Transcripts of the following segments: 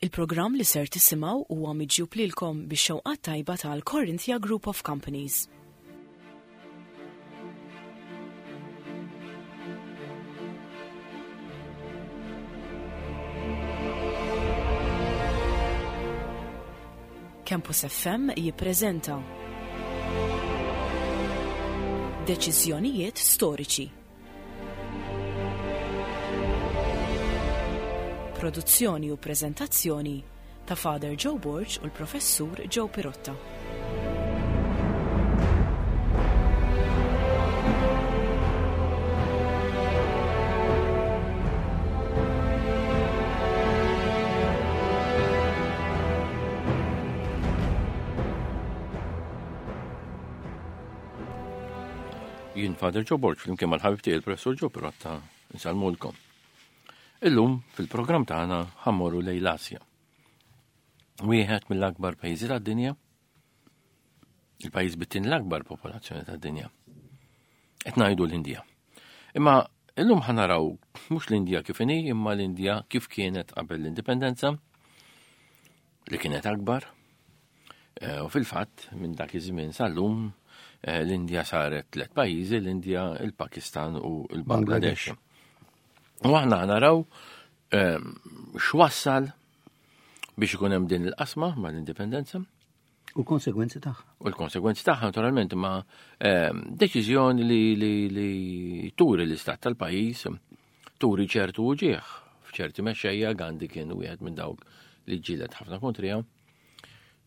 Il-programm li ser tisimgħu huwa miġjub lilkom bix-xewqat tajba tal-Corinthia Group of Companies. Campus FM jippreżenta Deċiżjonijiet storiċi. Produzzjoni u preżentazzjoni ta' Father Joe Borg u l-Professur Joe Pirotta. Jien Father Joe Borg flimkien mal-ħabib tiegħi il-Professur Joe Pirotta nsalmulkom. Illum fil-programm tagħna ħammorru lejn l-Asja. Wieħed mill-akbar pajjiżi tad-dinja, il-pajjiż bit-tieni l-akbar popolazzjoni tad-dinja. Qed ngħidu l-Indja. Imma illum ħanaraw mhux l-Indja kif inhi, imma l-Indja kif kienet qabel l-indipendenza, li kienet akbar. Eh, u fil-fatt, minn dak iż-żmien sal-lum, eh, l-Indja saret tliet pajjiżi, l-Indja, il-Pakistan u l-Bangladesh. U aħna naraw eh, x'wassal biex ikun hemm din il-qasma mal-indipendenza. U l-konsegwenzi tagħha. U l-konsegwenzi tagħha naturalment ma ehm, deċiżjoni li, li, li turi l-istat tal-pajjiż turi ċertu uġieħ f'ċerti mexxejja Gandhi kien wieħed minn dawk li ġġieled ħafna kontriha.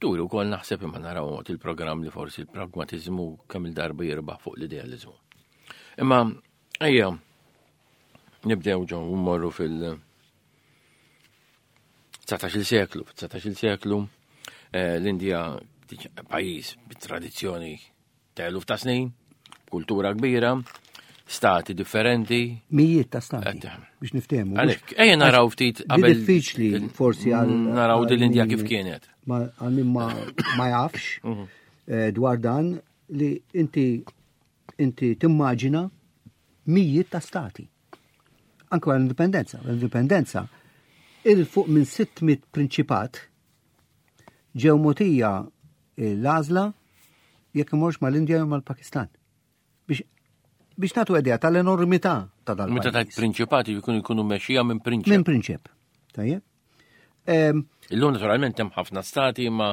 Turi wkoll naħseb imma naraw waqt il-programm li forsi l-pragmatiżmu kemm il-darba jirbaħ fuq l-idealiżmu. Imma ejja nibdew ġew mmorru fil- 19 seklu, 19 seklu, eh, l-Indija pajjiż bit-tradizzjoni ta' eluf ta' snin, kultura kbira, stati differenti. Mijiet ta' stati. Biex niftehmu. Għalhekk, ejja naraw ftit qabel. Diffiċli forsi għal. Naraw din l-Indja kif kienet. Għal min ma jafx mhm. eh, dwar dan li inti inti timmaġina mijiet ta' stati. Anke wara l-indipendenza. L-indipendenza il fuq minn 600 prinċipat ġew motija l-għażla jekk imorx mal-Indja jew mal-Pakistan. Biex biex nagħtu idea tal-enormità ta' dal Meta tajt prinċipati jkunu jkunu mexxija minn prinċep. Minn prinċep. Tajjeb. Illum naturalment hemm ħafna stati imma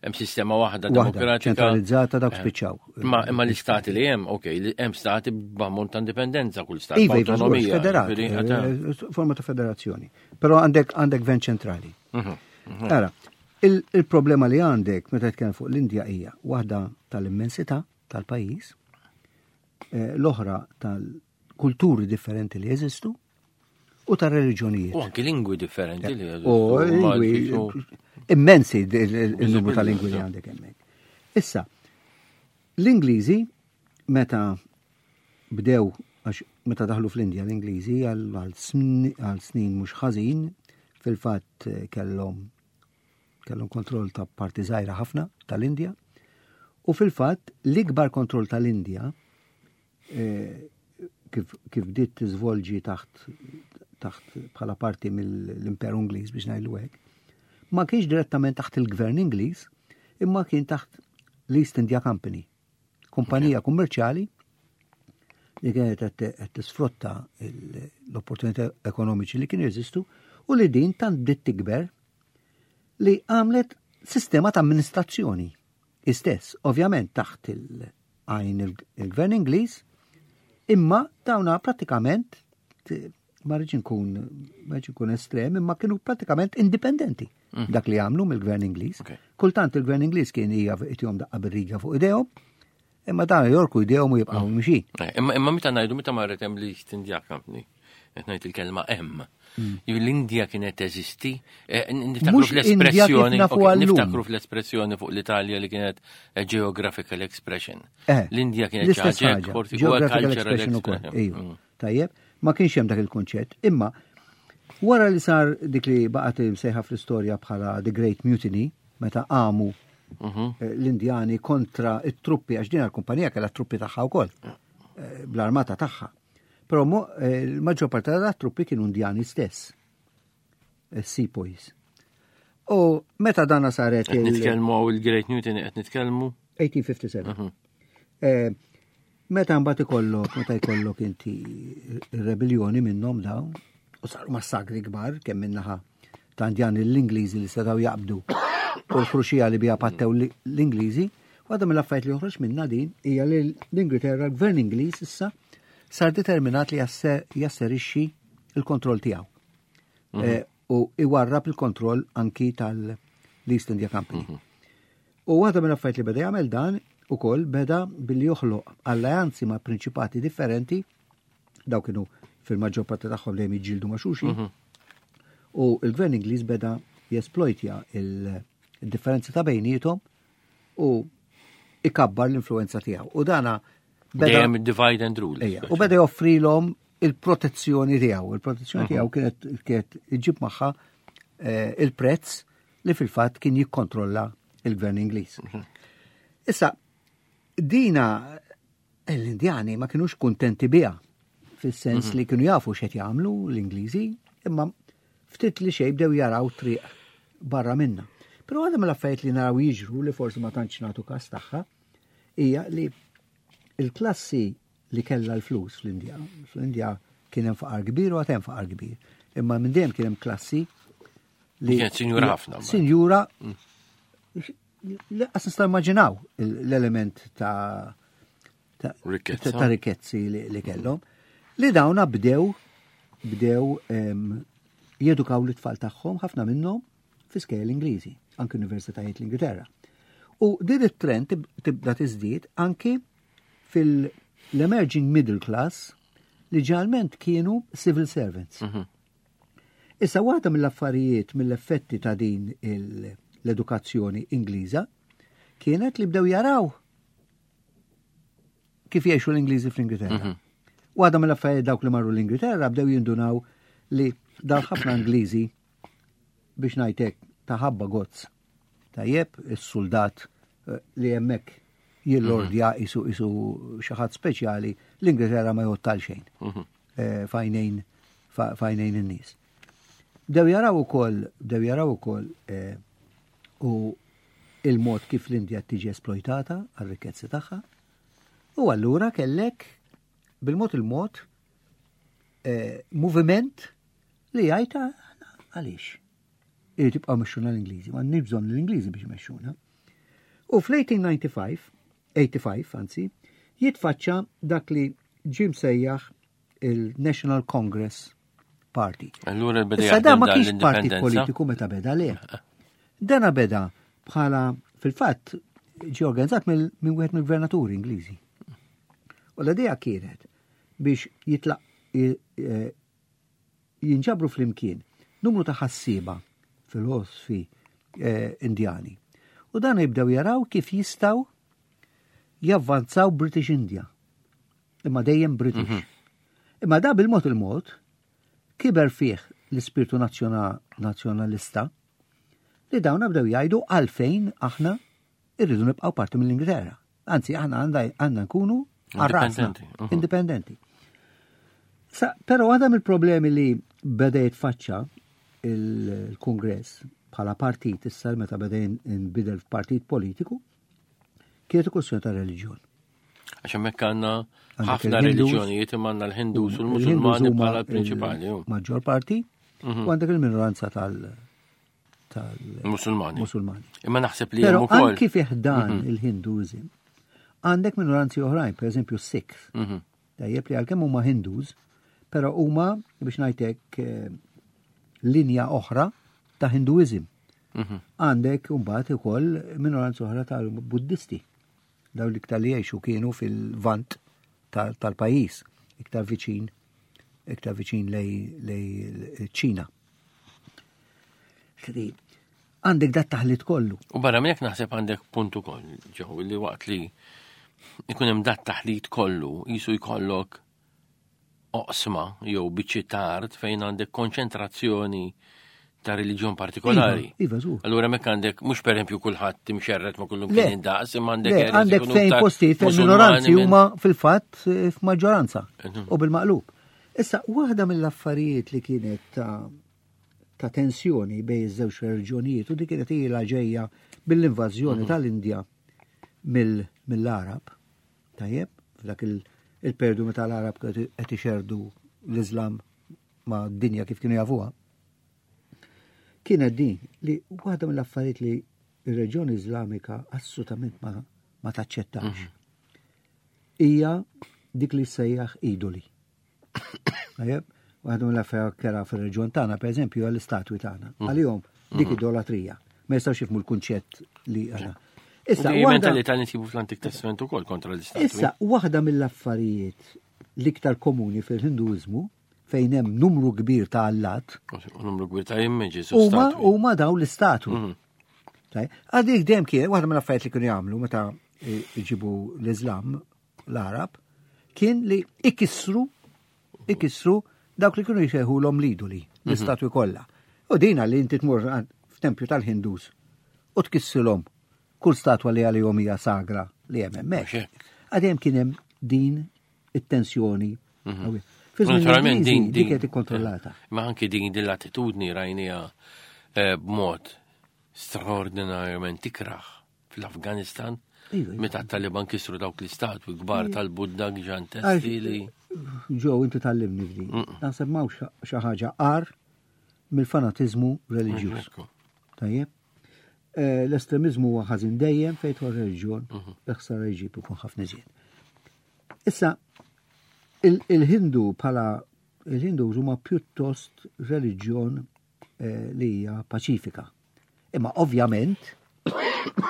hemm sistema waħda demokratika. Ċentralizzata dawk eh. spiċċaw. Imma imma l-istati li hemm, ok, hemm stati b'ammont ta' indipendenza kull stat. Iva, iva, autonomija. Federat, eh, forma ta' federazzjoni. Però għandek għandek gvern ċentrali. Mhm, mhm. Ara, il-problema li għandek meta tkellem fuq l-Indja hija waħda tal-immensità tal-pajjiż, eh, l-oħra tal-kulturi differenti li jeżistu, u ta' reliġjonijiet. U anki lingwi differenti li jeżistu. U lingwi immensi il-numru ta' lingwi li għandek hemmhekk. Issa, l-Ingliżi meta bdew għax meta daħlu fl-Indja l-Ingliżi għal snin mhux ħażin fil-fatt eh, kellhom kellhom kontroll ta' parti żgħira ħafna tal-Indja u fil-fatt l-ikbar kontroll tal-Indja eh, kif, kif bdiet tiżvolġi taħt taħt bħala parti mill-Imperu Ingliż biex ngħidlu hekk, ma kienx direttament taħt il-Gvern Ingliż, imma kien taħt l-East India Company, kumpanija kummerċjali li kienet qed tisfrutta l-opportunità ekonomiċi li kienu jeżistu u li din tant bdiet tikber li għamlet sistema ta' amministrazzjoni istess, ovvjament taħt il- għajn il-gvern Ingliż, imma dawna pratikament ma rridx nkun ma rridx nkun estrem, imma kienu pratikament indipendenti mhm. dak li għamlu mill-gvern Ingliż. Kultant il-gvern Ingliż kien hija itihom daqqa bir-riga fuq idejhom, imma dan jorku idejhom u jibqgħu mhm. mixin. Eh, imma imma meta ngħidu meta marret hemm li East India Company, qed ngħid il-kelma hemm. Mm. L-Indja kienet teżisti, eh, niftakru fl-espressjoni, niftakru fl-espressjoni fuq l-Italja li kienet eh, geographical expression. Eh, L-Indja kienet ħaġa, forsi huwa cultural expression. Mm. Tajjeb, ma kienx hemm dak il-konċett, imma wara li sar dik li baqgħet imsejħa fl-istorja bħala The Great Mutiny, meta qamu mhm. l-Indjani kontra it-truppi, għax din għal-kumpanija kellha truppi tagħha wkoll, bl-armata tagħha. Però eh, l-maġġor parti ta' truppi kienu Indjani stess, eh, sepoys. U meta dana saret il- Nitkellmu għaw il-Great Newton qed nitkellmu? 1857. Mhm. Eh, meta mbagħad ikollok, meta jkollok inti rebellioni minnhom dawn, u saru massakri kbar kemm minnaħa ta' Indjani l-Ingliżi li setgħu jaqbdu u l-ħruxija li biha pattew l-Ingliżi, waħda mill-affarijiet li joħroġ minna din hija li l-Ingilterra, l-Gvern Ingliż issa sar determinat li jasserixxi il-kontroll tiegħu. Mhm. Eh, u iwarrab il-kontroll anki tal-East India Company. Mhm. U waħda mill-affarijiet li beda jagħmel dan ukoll beda billi joħloq alleanzi ma' prinċipati differenti daw kienu fil-maġġor parti tagħhom dejjem jiġġieldu ma' xulxin. Mhm. U l-gvern Ingliż beda jesplojtja il-differenzi ta' bejniethom u ikabbar l-influenza tiegħu. U dana beda divide and rule. Ejja, u beda joffrilhom il-protezzjoni tiegħu. Il-protezzjoni mhm. tiegħu kienet kienet iġib magħha eh, il-prezz li fil-fatt kien jikkontrolla il-gvern Ingliż. Mhm. Issa, dina l-Indjani ma kienux kuntenti biha fis-sens mhm. li kienu jafu x'qed jagħmlu l-Ingliżi, imma ftit li xejn bdew jaraw triq barra minna. Però għadha mill-affarijiet li naraw jiġru li forsi ma tantx nagħtu każ tagħha hija li il-klassi li kellha l-flus fl-Indja, fl-Indja kien hemm faqar kbir u għad hemm faqar kbir, imma minn dejjem kien hemm klassi li kienet sinjura ħafna. Sinjura mm. li qas nista' immaġinaw l-element ta' ta' rikkezzi li kellhom li dawna bdew bdew jedukaw l-tfal tagħhom ħafna minnhom fi skejjel Ingliżi, anki universitajiet l-Ingilterra. U din it-trend tibda tiżdied anki fil-emerging middle class li ġalment kienu civil servants. Mhm. Issa waħda mill-affarijiet mill-effetti ta' din l-edukazzjoni Ingliża kienet li bdew jaraw kif jgħixu l-Ingliżi fl-Ingilterra. Mhm. Waħda mill-affarijiet dawk li marru l-Ingilterra bdew jindunaw li dawn ħafna Ingliżi biex ngħidlek ta' ħabba gozz. Tajjeb, is-suldat eh, li hemmhekk jillordja mhm. isu isu xi ħadd speċjali l-Ingilterra ma jgħod xejn. Mhm. Eh, fajnejn fajnejn in-nies. Bdew jaraw ukoll, bdew jaraw ukoll eh, u il-mod kif l-Indja tiġi esploitata għar-rikkezzi tagħha. U allura kellek bil-mod il-mod eh, moviment li jgħid ah, għaliex. Irid jibqgħu mexxuna l-Ingliżi, ma għandniex bżonn l-Ingliżi biex imexxuna. U fl-1895, 85 anzi, jitfaċċa dak li ġie msejjaħ il-National Congress Party. Allura beda Issa da ma kienx partit politiku meta beda le. Dana beda bħala fil-fatt ġie organizzat minn wieħed mill-gvernaturi Ingliżi. U l-idea kienet biex jitlaq e, jinġabru flimkien numru ta' ħassieba filosofi e, Indjani. U dan jibdew jaraw kif jistaw javvanzaw British India. Imma dejjem British. Mhm. Imma da bil-mod il-mod kiber fih l-ispirtu nazzjonalista li dawn bdew jgħidu għalfejn aħna irridu nibqgħu parti mill-Ingilterra. Anzi, aħna għandna nkunu għarrasna. Mhm. Indipendenti. Pero għadha mill-problemi li beda jitfaċċa il-Kongress bħala partit issa meta beda jinbidel f'partit politiku kienet kwestjoni ta' reliġjon. Għax hemmhekk għandna ħafna reliġjonijiet imma għandna l-Hindus u l-Musulmani bħala l-prinċipali. Maġġor parti mhm. u għandek il-minoranza tal- Musulmani. Musulmani. Imma naħseb li Pero anki fih dan mhm. il-Hinduizm għandek minoranzi oħrajn, per eżempju Sikh. Mhm. Tajjeb li għalkemm huma Hindus, però huma biex ngħidlek eh, linja oħra ta' Hinduizm. Għandek mbagħad ukoll minoranza oħra tal-Buddisti. Dawn l-iktar li jgħixu kienu fil-vant tal-pajjiż, iktar viċin iktar viċin lej ċina. Għandek dat taħlit kollu. U barra minn hekk naħseb għandek punt ukoll, ġew, li waqt li ikun hemm dat taħlit kollu jisu jkollok oqsma jew biċċiet ta' art fejn għandek konċentrazzjoni ta' reliġjon partikolari. Iva, iva, Allura mek għandek mhux pereżempju kulħadd timxerret ma' kullum kien indaqs, imma għandek għandek fejn postijiet fejn minoranzi huma fil-fatt eh, f'maġġoranza u bil-maqlub. Issa waħda mill-affarijiet li kienet ta' ta' tensjoni bejn iż-żewġ reliġjonijiet u dik kienet ilha ġejja mill-invażjoni tal-Indja mill-Arab. Tajjeb, f'dak il-perdu meta l-Arab qed ixerdu l-Iżlam ma' dinja kif kienu jafuha. Kienet din li waħda mill-affarijiet li ir-reġjoni Iżlamika assolutament ma, ma taċċettax. Hija dik li sejjaħ idoli. Tajjeb, waħda mill-affarijiet kera fir-reġjun tagħna, pereżempju, għall-istatwi tagħna. Għalihom dik idolatrija. Ma jistgħux jifhmu l-kunċett li għana. Issa, mentalità li nsibu fl-Antik Testament ukoll kontra l-istatwi. Issa, waħda mill-affarijiet l-iktar komuni fil-Hinduiżmu fejn hemm numru kbir ta' allat. Numru kbir ta' images. Huma huma dawn l-istatwi. Għadik dejjem kien waħda mill-affarijiet li kienu jagħmlu meta jġibu l-Iżlam l-Arab kien li ikissru ikissru dawk li kienu jsejħulhom l-idoli, l-istatwi kollha. U dina li inti tmur f'tempju tal-Hindus u tkissilhom kull statwa li għalihom hija sagra li hemm hemmhekk. Għadhem kien hemm din it-tensjoni. Naturalment din dik qed ikkontrollata. Ma anki din din l-attitudni rajnija b'mod straordinarjament ikraħ fl-Afganistan. Iva, iva. Meta t-Taliban kisru dawk l-istatwi kbar tal-Budda ġantesti li. Ġo, inti tallimni f'din. Naħseb m'hawnx xi ħaġa qar mill-fanatiżmu reliġjuż. Tajjeb? L-estremizmu huwa ħażin dejjem fejn tidħol reliġjon, l-ħsara jġib ikun ħafna iżjed. Issa, il-Hindu bħala il-Hindu huma pjuttost reliġjon li hija paċifika. Imma ovvjament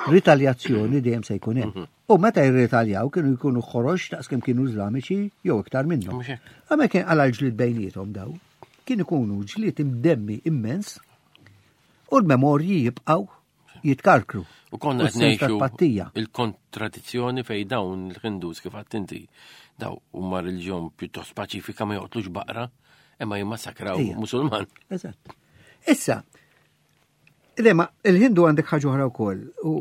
ritaljazzjoni dejjem se jkun hemm. U meta jirritaljaw kienu jkunu ħorox daqs kemm kienu Iżlamiċi jew iktar minnhom. Mhux hekk. Għamel kien għala l-ġlied bejniethom daw, kien ikunu ġlied imdemmi immens u l-memorji jibqgħu jitkarkru. U konna U qed s-sens ta' ngħixu tpattija. il-kontradizzjoni fej dawn il-Hindus kif għedt inti daw huma reliġjon pjuttost paċifika ma joqtlux baqra imma jimmassakraw Musulman. Eżatt. Issa, le, ma il-Hindu għandek ħaġa oħra wkoll u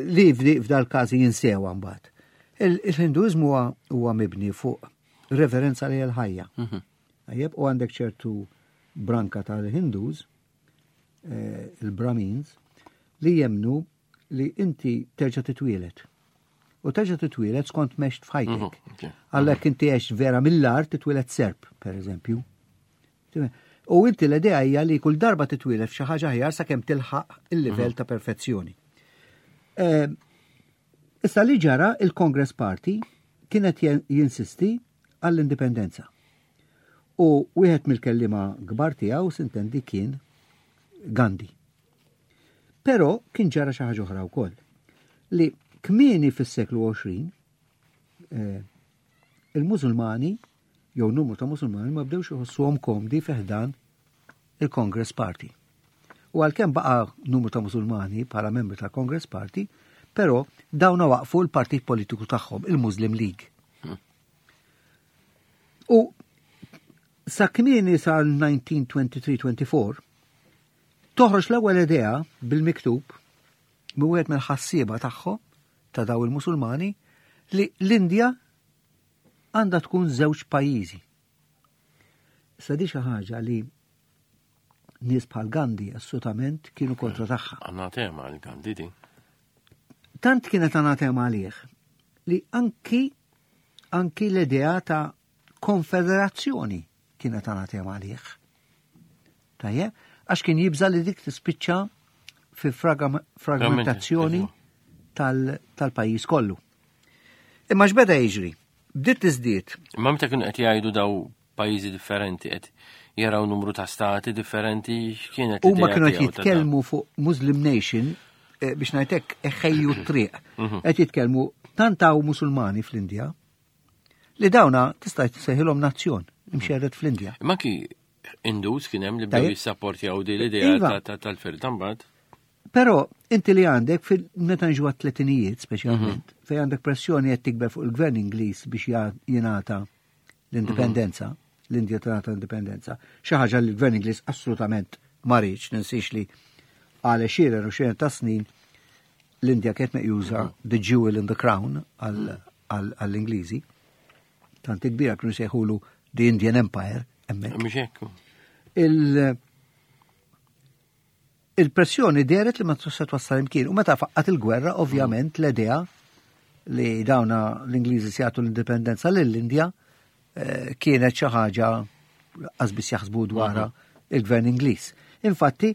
li f'dal każi jinsewa mbagħad. Il-Hinduiżmu huwa mibni fuq reverenza li l-ħajja. Tajjeb, u għandek ċertu branka tal-Hindus, il-Brahmins, li jemnu li inti terġa' titwielet. U terġa' titwielet skont mext f'ħajtek. Għalhekk inti għext vera mill-art titwielet serp, per eżempju. U inti l-idea hija li kull darba titwielet f'xi ħaġa aħjar sakemm tilħaq il-livell ta' perfezzjoni. Issa li ġara il-Congress Party kienet jinsisti għall-indipendenza. U wieħed mill-kellima kbar tiegħu sintendi kien Gandhi. Però kien ġara xi ħaġa oħra wkoll. Li kmieni fis-seklu 20 il-Musulmani jew numru ta' Musulmani ma bdewx iħossuhom komdi fi ħdan il-Congress Party. U għalkemm baqa' numru ta' Musulmani bħala membri tal-Congress Party, però dawna waqfu l-partit politiku tagħhom, il-Muslim League. U sa kmieni sa 1923-24 toħroġ l-ewwel idea bil-miktub minn wieħed mill-ħassieba tagħhom ta' daw il-Musulmani li l-Indja għandha tkun żewġ pajjiżi. Issa di xi ħaġa li nies bħal Gandhi assolutament kienu kontra tagħha. Anatema għal Gandhi din. Tant kienet anatema għalih li anki l-idea ta' konfederazzjoni kienet anatema għalih. Tajjeb, għax kien jibża li dik tispiċċa fi fragmentazzjoni tal-pajjiż kollu. Imma x'beda jiġri? Bdiet tiżdied. Imma meta kienu qed jgħidu daw pajjiżi differenti qed jaraw numru ta' stati differenti, x'kienet Huma l-idea kienu qed tiegħu ta' dan? jitkellmu fuq Muslim Nation, biex ngħidlek eħejju t-triq. Qed jitkellmu tant hawn Musulmani fl-Indja li dawna tista' tsejħilhom nazzjon imxerred fl-Indja. Imma anki Hindus kien hemm li bdew jissapportjaw din l-idea tal-firda mbagħad. Però inti li għandek fil meta nġu għat-tletinijiet speċjalment, fejn għandek pressjoni qed tikber fuq il-gvern Ingliż biex jingħata l-indipendenza, l-Indja tingħata l-indipendenza, xi ħaġa li l-gvern Ingliż assolutament ma riedx, ninsiex li għal għexieren u għexieren ta' snin l-Indja kienet meqjusa the jewel in the crown għall-Ingliżi. Tant kbira kienu sejħulu the Indian Empire hemmhekk. Mhux hekk. Il-pressjoni dehret li ma tista' twassal imkien u meta faqqat il-gwerra ovvjament l-idea li dawna l-Ingliżi se jagħtu l-indipendenza lill-Indja eh, kienet xi ħaġa qas biss jaħsbu dwarha mhm. il-gvern Ingliż. Infatti,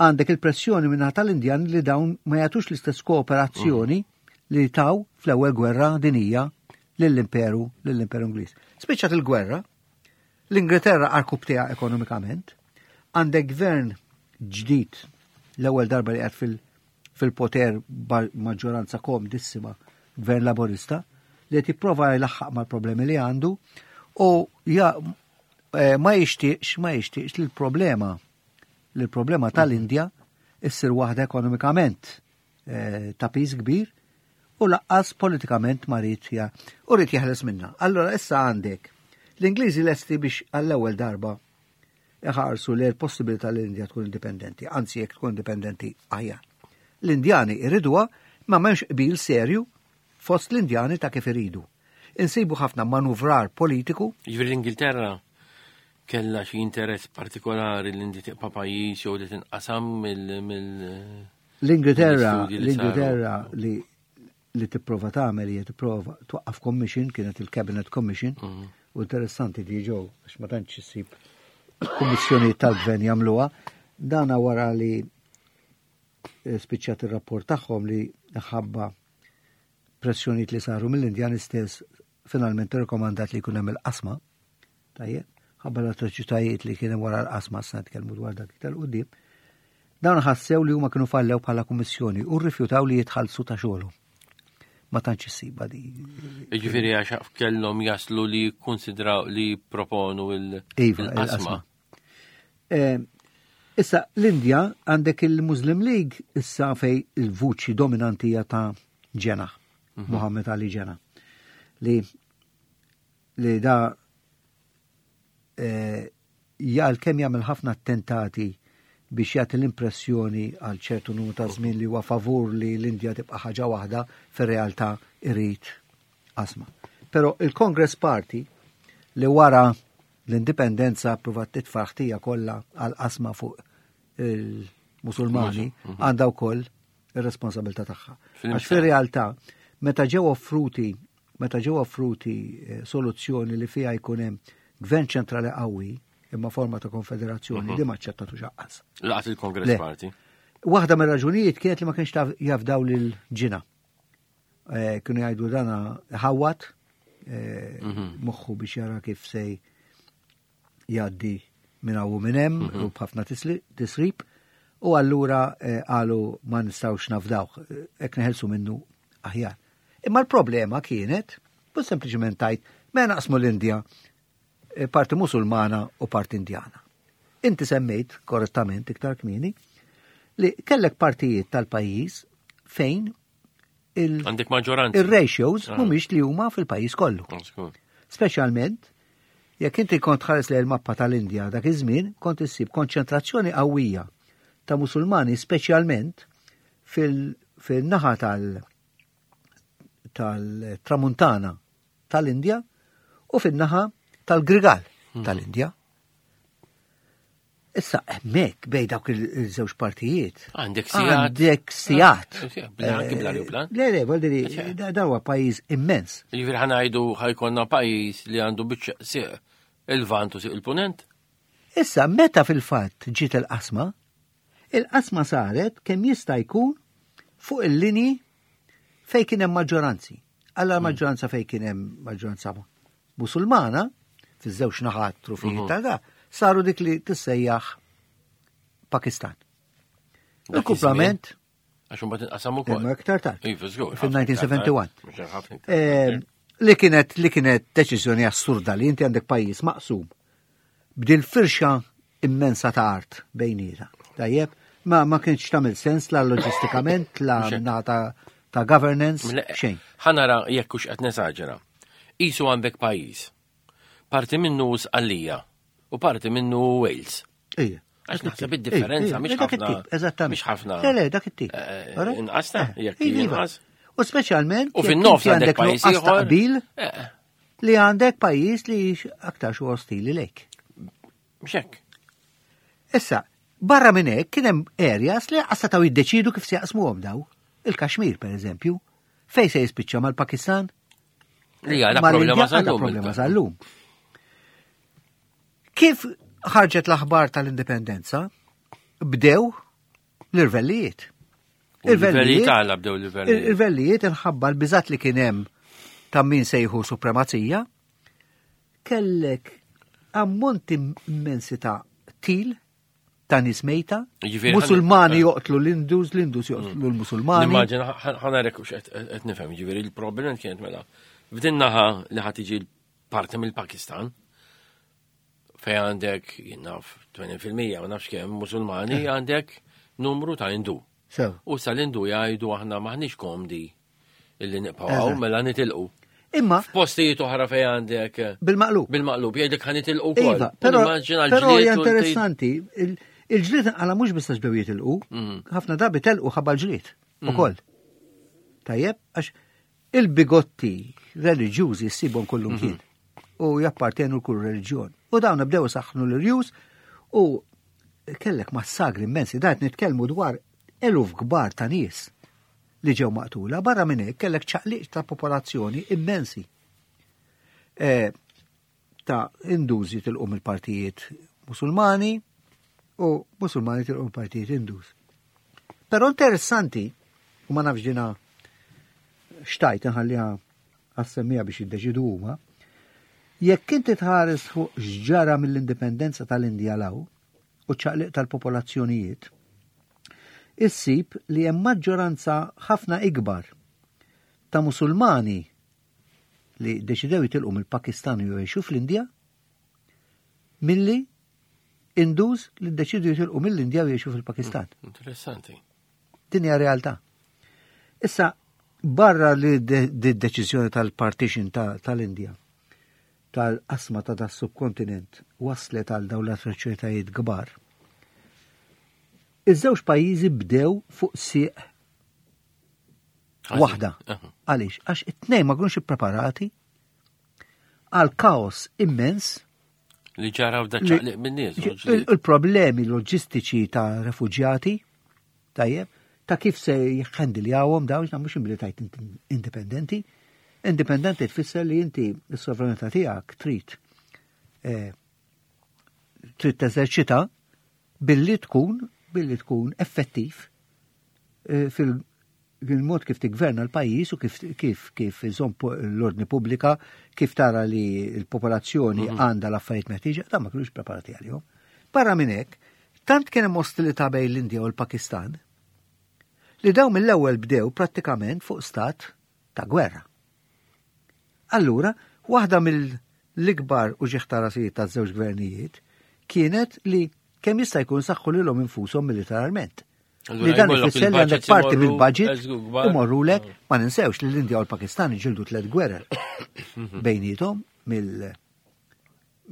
għandek il-pressjoni minna tal-Indjan li dawn ma jagħtux l-istess kooperazzjoni mhm. li taw fl-ewwel gwerra dinija lill-imperu lill-imperu Ingliż. Spiċċat il-gwerra, l-Ingilterra arkubteha ekonomikament, għandek gvern ġdid l-ewwel darba li qiegħed fil-poter maġġoranza komdissima gvern laborista li qed jipprova jlaħħaq mal-problemi li għandu u ja, eh, ma jixtieqx ma jixtieqx li l-problema li l-problema tal-Indja issir waħda ekonomikament eh, ta' piż kbir u laqqas politikament ma rrid u rrid jeħles minna. Allora issa għandek l-Ingliżi lesti biex għall-ewwel darba iħarsu li l-possibilità li l-Indja tkun indipendenti, anzi jekk tkun indipendenti aħjar. L-Indjani iriduha ma m'hemmx qbil serju fost l-Indjani ta' kif iridu. Insibu ħafna manuvrar politiku. Jiġifieri l-Ingilterra kellha xi interess partikolari l-Indja tibqa' pajjiż jew li tinqasam mill L-Ingilterra, l-Ingilterra li li tipprova tagħmel hija tipprova twaqqaf commission kienet il-Cabinet Commission mhm. u interessanti di ġew għax ma tantx issib kummissjonijiet tal-gvern jagħmluha. Dana wara li eh, spiċċat ir-rapport tagħhom li ħabba pressjonijiet li saru mill-Indjan istess finalment irrekomandat li jkun hemm il-qasma. Tajjeb, ħabba l-atroċitajiet li kien hemm wara l-qasma sa nitkellmu dwar dak iktar qudiem. Dawn ħassew li huma kienu fallew bħala kummissjoni u rrifjutaw li jitħallsu ta' xogħolhom. Ma tantx issibha di. Jiġifieri għax kellhom jaslu li jikkunsidraw li jipproponu iva, il-qasma. Eh, issa l-Indja għandek il-Muslim League issa fej il-vuċi dominanti hija ta' Ġena, mhm. Muhammad Ali Ġena, li li da eh, jgħal kemm jagħmel ħafna attentati biex jagħti l-impressjoni għal ċertu numru ta' żmien li huwa favur li l-Indja tibqa' ħaġa waħda, fir-realtà irid qasma. Però il-Congress Party li wara l-indipendenza provat titfa' ħtija kollha għal qasma fuq il-Musulmani mhm. għandha wkoll ir-responsabilità tagħha. Għax fir-realtà meta ġew offruti meta ġew offruti eh, soluzzjoni li fiha jkun hemm gvern ċentrali qawwi imma forma ta' konfederazzjoni mhm. li ma ċċettatu xaqqas. Laqat il-Kongress Party. Waħda mir-raġunijiet kienet li ma kienx jafdaw lil ġina. Eh, kienu jgħidu dana ħawat eh, mhm. moħħu biex jara kif sej jgħaddi minn hawn u minn hemm mhm. u b'ħafna tisrib u allura eh, qalu ma nistgħux nafdawh hekk neħelsu minnu aħjar. Imma l-problema kienet mhux sempliċement tajt ma naqsmu l-Indja eh, parti Musulmana u parti Indjana. Inti semmejt korrettament iktar kmieni li kellek partijiet tal-pajjiż fejn il Għandek maġġoranza. Il-ratios ah. mhumiex li huma fil-pajjiż kollu. Ah, Speċjalment jekk inti kont tħares lejn il-mappa tal-Indja dak iż-żmien kont issib konċentrazzjoni qawwija ta' Musulmani speċjalment fil-naħa tal- tal-tramuntana tal-Indja u fin-naħa tal-Grigal hmm. tal-Indja. Issa hemmhekk bej dawk il-żewġ partijiet. Għandek sijat. Għandek sijat. Eh, eh, le, le, voldiri, dawa pajjiż immens. Jiġifieri ħanajdu ħajkonna pajjiż li għandu biċċa siq il-vant u siq il-punent. Issa, meta fil-fatt ġiet il-qasma, il-qasma saret kemm jista' jkun fuq il-linji fej kien hemm maġġoranzi. Alla hmm. maġġoranza fej kien hemm maġġoranza Musulmana, fiż-żewġ naħat trufijiet mhm. ta' da, saru dik li tissejjaħ Pakistan. Il-kumplament. Għax imbagħad inqasam ukoll. Imma iktar tard. Iva, żgur. Fil-1971. Ehm, li kienet li kienet deċiżjoni assurda li inti għandek pajjiż maqsum b'dil firxa immensa ta' art bejnieta. Tajjeb, ma ma kienx tagħmel sens la loġistikament, la ta' ta' governance, xejn. Ħanara jekk hux qed nesaġera. Isu għandek pajjiż. Parti minnu Sqallija u parti minnu Wales. Ija. Għax naħseb id-differenza mhix ħafna. Eżattament. Mhix ħafna. Le, le, dak it-tip. Eh, inqas ta' eh, jekk iva. inqas. U speċjalment U fin-nofs għandek pajjiż ieħor. Qbil eh. li għandek pajjiż li aktar xu ostili lejk. Mxek. Issa, Barra minn hekk kien hemm areas li lanqas setgħu jiddeċidu kif se jaqsmuhom daw. Il-Kashmir, per eżempju, fejn se jispiċċa mal-Pakistan? Li għadha problema sal-lum. Problema sal-lum. Kif ħarġet l-aħbar tal-indipendenza, bdew l-irvellijiet. Il-vellijiet għala bdew l-irvellijiet. Il-vellijiet inħabba l-biżat li kien hemm ta' min sejħu supremazija, kellek ammonti immensi ta' til ta' nies mejta, Musulmani eh. joqtlu l-Indus, l-Indus joqtlu mm. l-Musulmani. Immaġina ħanarek u qed nifhem, ġifieri il-problema kienet mela. F'din naħa li ħad tiġi parti mill-Pakistan, fej għandek, jinnaf, 80% ma nafx kemm Musulmani eh. għandek numru ta' Indu. U sal-Indu jgħidu aħna maħniex komdi illi nibqgħu mela nitilqu. Imma f'postijiet oħra fejn għandek eh, bil-maqlub. Bil-maqlub jgħidlek ħa nitilqu wkoll. Iva, però però hija interessanti, il-ġlied għala mhux biss bdew jitilqu, mhm. ħafna drabi telqu ħabba l-ġlied mhm. ukoll. Tajjeb, għax il-bigotti reliġjużi ssibhom kullum mhm. kien u jappartenu l-kull reliġjon. U dawn bdew saħħnu l-irjus u kellek massagri immensi, dat nitkellmu dwar eluf kbar ta' nies li ġew maqtula, barra minn hekk kellek ċaqliq ta' popolazzjoni immensi. E, ta' Induż jitilqu mill-partijiet Musulmani u Musulmani jitilqu mill-partijiet Induż. Però interessanti, u ma nafx ġina xtajt nħalliha għas-semmija biex jiddeċidu huma, jekk inti tħares fuq x'ġara mill-indipendenza tal-Indja law u ċaqliq tal-popolazzjonijiet, issib li hemm maġġoranza ħafna ikbar ta' Musulmani li deċidew jitilqu mill-Pakistan u jgħixu fl-Indja milli Indus li deċidu jitilqu mill-Indja u jgħixu fil-Pakistan. Hmm, interessanti. Din hija realtà. Issa barra li d-deċiżjoni tal-partition tal-Indja tal-qasma ta' das subkontinent waslet għal dawn l-atroċitajiet kbar. Iż-żewġ pajjiżi bdew fuq sieq waħda. Għaliex? Għax it-tnejn ma kienux ippreparati għal kaos immens li ġara f'da ċaqliq min-nies. Il-problemi loġistiċi ta' refuġjati, tajjeb, ta' kif se jħendiljawhom dawn mhux imbli tajt indipendenti. Indipendenti tfisser li inti s-sovranità tiegħek trid eh, trid teżerċita billi tkun billi tkun effettiv eh, fil il-mod kif tigverna l-pajjiż u kif kif kif iżomm l-ordni pubblika, kif tara li l-popolazzjoni mhm. għandha l-affarijiet meħtieġa, dan ma kinux preparati għalihom. Barra minn hekk, tant kien hemm ostilità bejn l-Indja u l-Pakistan li dawn mill-ewwel bdew prattikament fuq stat ta' gwerra. Allura, waħda mill-ikbar u ta' rasijiet taż-żewġ gvernijiet kienet li kemm jista' jkun saħħu lilhom infushom militarment. Li dan ifisser li għandek parti mill-budget imorrulek, ah. ma ninsewx li l-Indja u l-Pakistan ġildu tlet gwerer bejnietom mill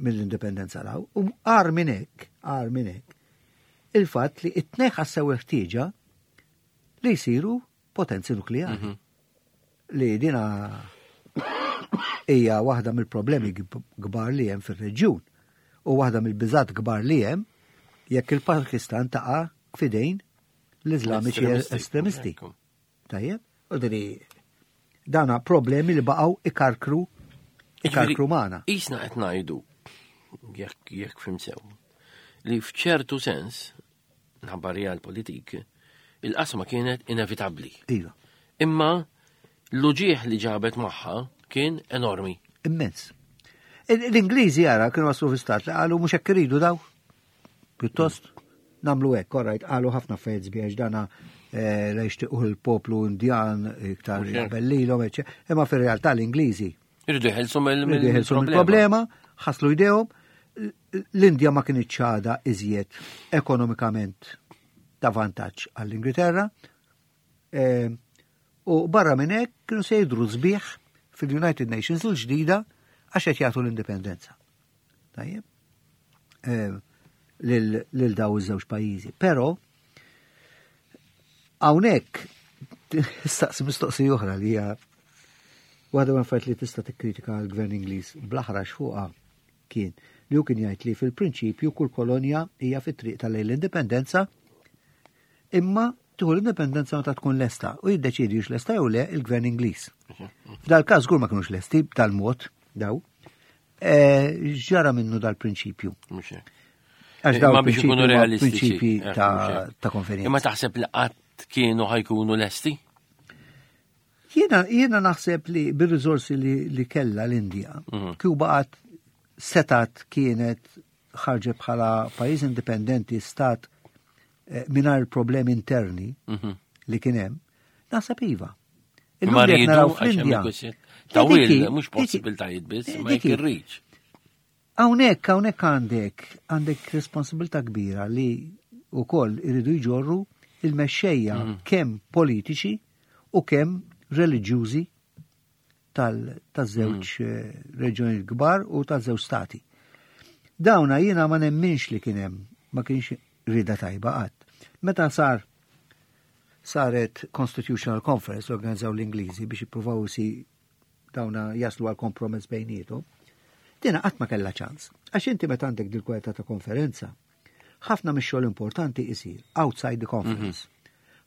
mill-indipendenza law. U għar minn hekk, għar minn hekk, il-fatt li it-tnej ħassew il-ħtieġa li jsiru potenzi nukleari. Mhm. Li dina hija waħda mill-problemi kbar li hemm fir-reġjun u waħda mill-biżat kbar li hemm jekk il-Pakistan taqa' fidejn l-Iżlamiċi estremisti. Tajjeb, u dini dana problemi li baqgħu ikarkru ikarkru magħna. Isna qed ngħidu jekk jekk fim sew li f'ċertu sens nħabba realpolitik il-qasma kienet inevitabbli. Iva. Imma l-uġieħ li ġabet magħha kien enormi. Immens. L-Ingliżi jara kienu waslu fi stat li qalu mhux hekk iridu daw. Pjuttost namlu hekk, orajt, qalu ħafna affarijiet sbiex dana eh, la jixtiequh il-poplu Indjan iktar jaqbel lilhom, imma fir-realtà l-Ingliżi Irridu jħelsu mill-problema, ħaslu jdejhom, l-Indja ma kienx ċada iżjed ekonomikament ta' vantaġġ għall-Ingilterra. Eh, u barra minn hekk kienu se jidhru sbieħ fil-United Nations il-ġdida għax qed jagħtu l-indipendenza. Tajjeb? Eh, lil daw iż-żewġ pajjiżi. Però hawnhekk staqsi mistoqsija oħra li hija waħda mill affarijiet li tista' tikkritika l-gvern Ingliż bl-aħrax fuqha kien Li hu kien jgħid li fil-prinċipju kull kolonja hija fit-triq tal-lejn l-indipendenza imma tieħu l-indipendenza meta tkun lesta u jiddeċiedi hux lesta jew le il-gvern Ingliż. F'dal-każ żgur ma kinux lesti b'dal-mod daw. Eh, ġara minnu dal-prinċipju. Għax daw biex ikunu realistiċi. Prinċipji eh, ta' konferenza. Imma taħseb li qatt kienu ħajkunu lesti? Jiena jiena naħseb li bir-riżorsi li, li kella l-Indja, mm. kieku baqgħet setat kienet ħarġet bħala pajjiż indipendenti stat eh, mingħajr problemi interni mm -hmm. li kien hemm, naħseb iva. Illum li naraw fl-Indja. Tawil, mhux possibiltajiet biss, ma jekk irriċ. Hawnhekk, hawnhekk għandek, għandek responsabilità kbira li wkoll iridu jġorru il-mexxejja mhm. kemm politiċi u kemm reliġjużi tal-żewġ mhm. eh, reġjoni kbar u tal-żewġ stati. Dawna jiena ma nemminx li kien hemm, ma kienx rida tajba qatt. Meta sar saret Constitutional Conference organizzaw l-Ingliżi biex jippruvaw si dawna jaslu għal kompromess bejnietom, dina qatt ma kellha ċans. Għax inti meta għandek dil-kwalità ta' konferenza, ħafna mix-xogħol importanti isir outside the conference. Mhm.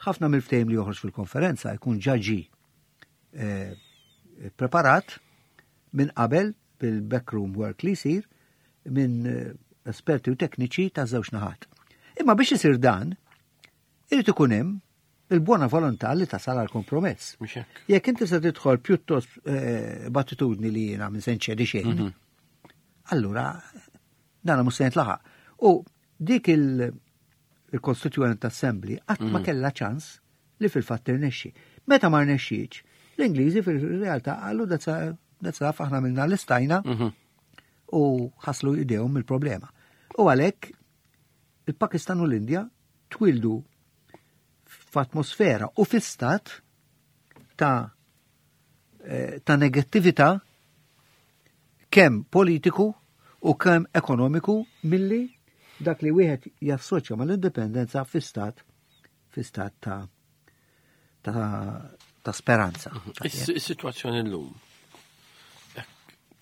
Ħafna mill-ftehim li joħroġ fil-konferenza jkun ġaġi eh, preparat minn qabel bil-backroom work li jsir minn eh, esperti u tekniċi ta' żewġ naħat. Imma biex isir dan, irid ikun hemm il-buona volontà li tasal għal kompromess. Jekk inti se tidħol pjuttost eh, b'attitudni li jiena minn se nċedi xejn, mhm. allura dan mhux se jintlaħaq. U dik il-Constituent Assembly qatt ma mhm. kellha ċans li fil-fatt tirnexxi. Meta ma rnexxietx, l-Ingliżi fil-realtà qalu that's enough aħna minna l-istajna mhm. u ħaslu idejhom mill-problema. U għalhekk il-Pakistan u l-Indja twildu f'atmosfera u fi stat ta' eh, ta' negattività kemm politiku u kemm ekonomiku milli dak li wieħed jassoċja mal-indipendenza fi stat fi stat ta' ta', ta speranza. Is-sitwazzjoni llum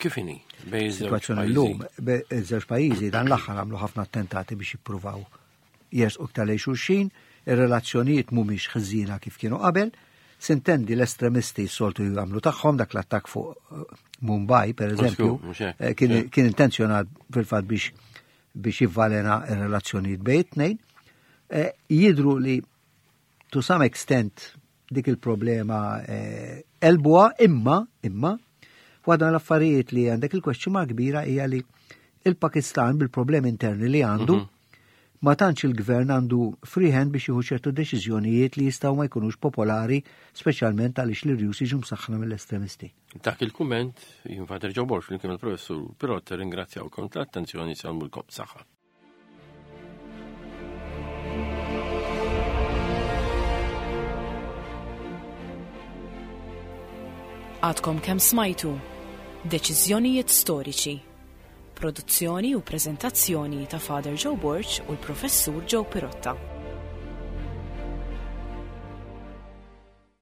kif inhi bejn Is-sitwazzjoni llum bejn iż-żewġ pajjiżi dan l-aħħar għamlu ħafna attentati biex jippruvaw jersqu iktar lejn xulxin, ir-relazzjonijiet mhumiex ħżiena kif kienu qabel, sintendi l-estremisti s-soltu jagħmlu tagħhom dak l-attakk fuq eh, Mumbai, per eżempju, eh, kien intenzjonat fil-fatt biex biex jivvalena r-relazzjonijiet bejn it-tnejn. Eh, jidru li to some extent dik il-problema elbuha imma imma waħda l-affarijiet li għandek il-question mark kbira hija li il-Pakistan bil-problemi interni li għandu mhm. ma tantx il-gvern għandu free hand biex jieħu ċertu deċiżjonijiet li jistgħu ma jkunux popolari, speċjalment għaliex l-irjus jiġu msaħħna mill-estremisti. Dak il-kumment, jien Father Joe Borg flimkien mal-Professur Pirott ringrazzjawkom tal-attenzjoni salmulkom saħħa. Għadkom kemm smajtu Deċiżjonijiet storiċi. Produzzjoni u preżentazzjoni ta' Father Joe Borg u l-Professur Joe Pirotta.